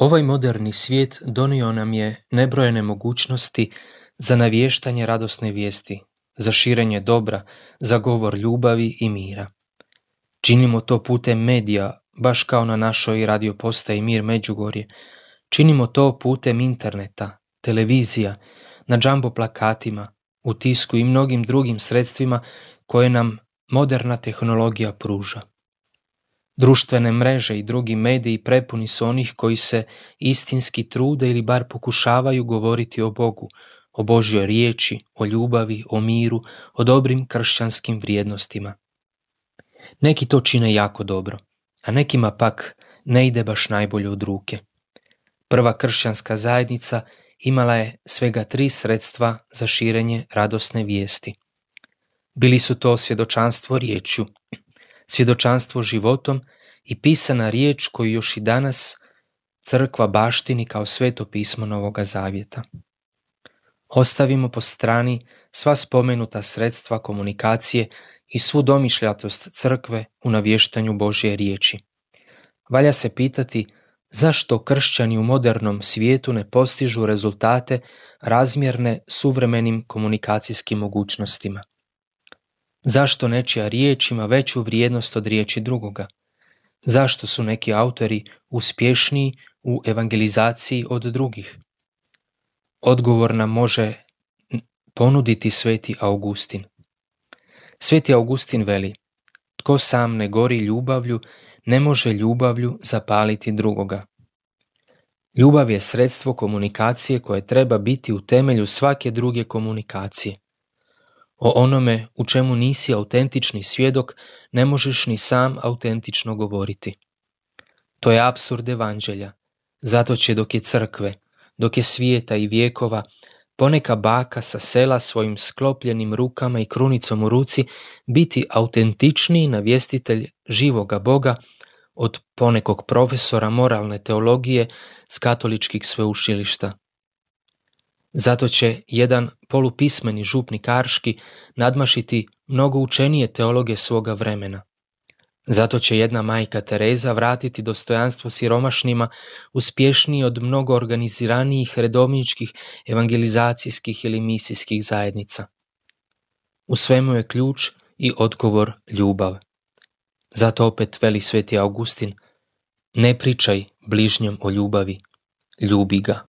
Ovaj moderni svijet donio nam je nebrojene mogućnosti za navještanje radosne vijesti, za širenje dobra, za govor ljubavi i mira. Činimo to putem medija, baš kao na našoj radio postaji Mir Međugorje. Činimo to putem interneta, televizija, na džambo plakatima, u tisku i mnogim drugim sredstvima koje nam moderna tehnologija pruža. Društvene mreže i drugi mediji prepuni su onih koji se istinski trude ili bar pokušavaju govoriti o Bogu, o Božjoj riječi, o ljubavi, o miru, o dobrim kršćanskim vrijednostima. Neki to čine jako dobro, a nekima pak ne ide baš najbolje od ruke. Prva kršćanska zajednica imala je svega 3 sredstva za širenje radosne vijesti. Bili su to svjedočanstvo riječju, svjedočanstvo životom i pisana riječ koju još i danas crkva baštini kao sveto pismo Novoga Zavjeta. Ostavimo po strani sva spomenuta sredstva komunikacije i svu domišljatost crkve u navještanju Božje riječi. Valja se pitati zašto kršćani u modernom svijetu ne postižu rezultate razmjerne suvremenim komunikacijskim mogućnostima. Zašto nečija riječ ima veću vrijednost od riječi drugoga? Zašto su neki autori uspješniji u evangelizaciji od drugih? Odgovor nam može ponuditi sveti Augustin. Sveti Augustin veli: tko sam ne gori ljubavlju, ne može ljubavlju zapaliti drugoga. Ljubav je sredstvo komunikacije koje treba biti u temelju svake druge komunikacije. O onome u čemu nisi autentični svjedok ne možeš ni sam autentično govoriti. To je apsurd evanđelja. Zato će dok je crkve, dok je svijeta i vijekova, poneka baka sa sela svojim sklopljenim rukama i krunicom u ruci biti autentičniji navjestitelj živoga Boga od ponekog profesora moralne teologije s katoličkih sveučilišta. Zato će jedan polupismeni župnik Arški nadmašiti mnogo učenije teologe svoga vremena. Zato će jedna majka Tereza vratiti dostojanstvo siromašnima uspješniji od mnogo organiziranijih redovničkih evangelizacijskih ili misijskih zajednica. U svemu je ključ i odgovor ljubav. Zato opet veli sveti Augustin: ne pričaj bližnjem o ljubavi, ljubi ga.